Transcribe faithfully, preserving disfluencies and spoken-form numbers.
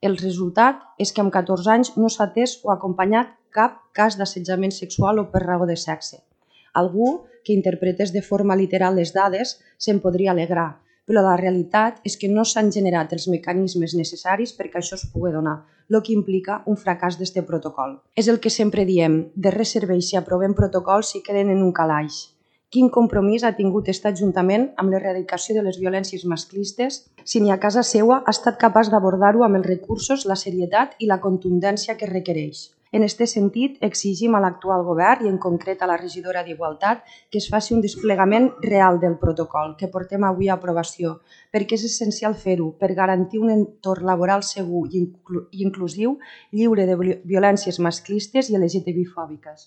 El resultat és que amb catorze anys no s'ha atès o acompanyat cap cas d'assetjament sexual o per raó de sexe. Algú que interpretés de forma literal les dades se'n podria alegrar, però la realitat és que no s'han generat els mecanismes necessaris perquè això es pugui donar, el que implica un fracàs d'este protocol. És el que sempre diem, de res serveix si aprovem protocols si queden en un calaix. Quin compromís ha tingut aquest Ajuntament amb l'erradicació de les violències masclistes si ni a casa seua ha estat capaç d'abordar-ho amb els recursos, la serietat i la contundència que requereix? En aquest sentit, exigim a l'actual govern i en concret a la regidora d'Igualtat que es faci un desplegament real del protocol que portem avui a aprovació, perquè és essencial fer-ho per garantir un entorn laboral segur i inclusiu, lliure de violències masclistes i L G T B I fòbiques.